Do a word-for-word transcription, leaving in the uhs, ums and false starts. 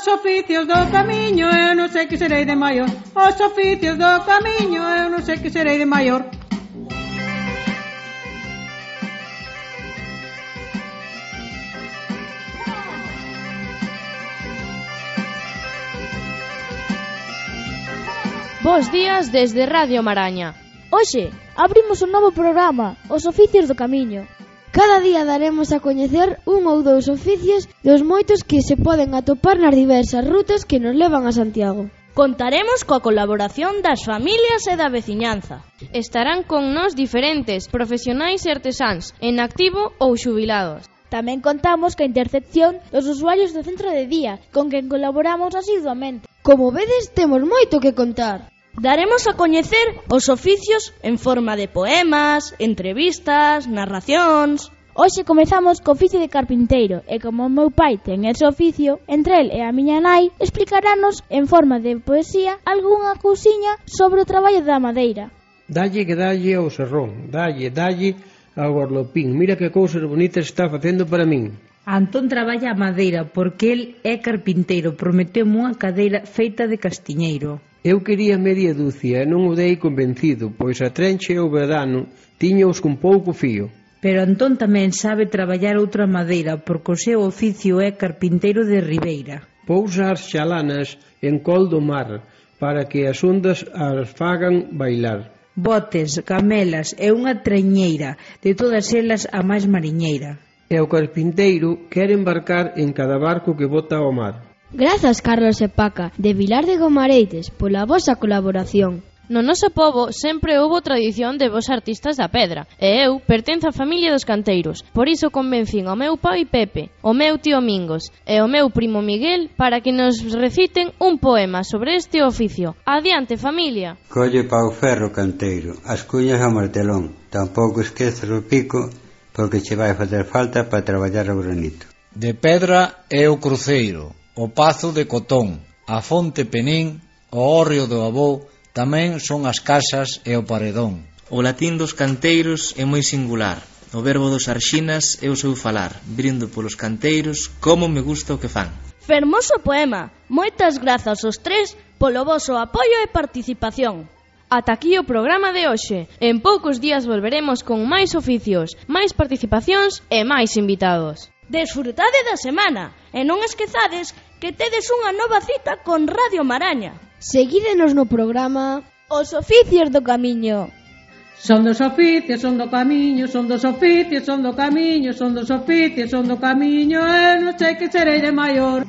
Os oficios do camiño, eu non sei que serei de maior. Os oficios do camiño, eu non sei que serei de maior. Bos días desde Radio Maraña. Hoxe abrimos un novo programa, Os oficios do camiño. Cada día daremos a coñecer un ou dous oficios dos moitos que se poden atopar nas diversas rutas que nos levan a Santiago. Contaremos coa colaboración das familias e da veciñanza. Estarán con nós diferentes profesionais e artesáns, en activo ou xubilados. Tamén contamos coa intercepción dos usuarios do centro de día, con quen colaboramos asiduamente. Como vedes, temos moito que contar. Daremos a coñecer os oficios en forma de poemas, entrevistas, narracións. Hoxe comezamos co oficio de carpinteiro e como o meu pai ten ese oficio, entre el e a miña nai explicarános en forma de poesía algunha cousiña sobre o traballo da madeira. Dalle que dalle ao serrón, dalle, dalle ao gorlopín. Mira que cousas bonitas está facendo para min. Antón traballa a madeira porque el é carpinteiro, prometeume unha cadeira feita de castiñeiro. Eu quería media dúcia e non o dei convencido, pois a trencha e o verano tiñaos con pouco fío. Pero Antón tamén sabe traballar outra madeira porque o seu oficio é carpinteiro de ribeira. Pousa as xalanas en col do mar para que as ondas as fagan bailar. Botes, camelas e unha treñeira, de todas elas a máis mariñeira. E o carpinteiro quere embarcar en cada barco que bota ao mar. Grazas, Carlos e Paca, de Vilar de Gomareites, pola vosa colaboración. No noso pobo sempre houbo tradición de vos artistas da pedra, e eu pertenzo á familia dos canteiros. Por iso convencín ao meu pai Pepe, o meu tío Mingos e o meu primo Miguel para que nos reciten un poema sobre este oficio. Adiante, familia! Colle pau ferro, canteiro, as cuñas ao martelón. Tampouco esqueces o pico, porque che vai facer falta para traballar o granito. De pedra é o cruceiro, o pazo de cotón, a fonte penín, o hórreo do avó, tamén son as casas e o paredón. O latín dos canteiros é moi singular. O verbo dos arxinas é o seu falar. Brindo polos canteiros, como me gusta o que fan. Fermoso poema. Moitas grazas aos tres polo voso apoio e participación. Ata aquí o programa de hoxe. En poucos días volveremos con máis oficios, máis participacións e máis invitados. Desfrutade da semana e non esquezades que tedes unha nova cita con Radio Maraña. Seguídenos no programa Os oficios do camiño. Son dos oficios, son do camiño, son dos oficios, son do camiño, son dos oficios, son do camiño, eu non sei que serei de maior.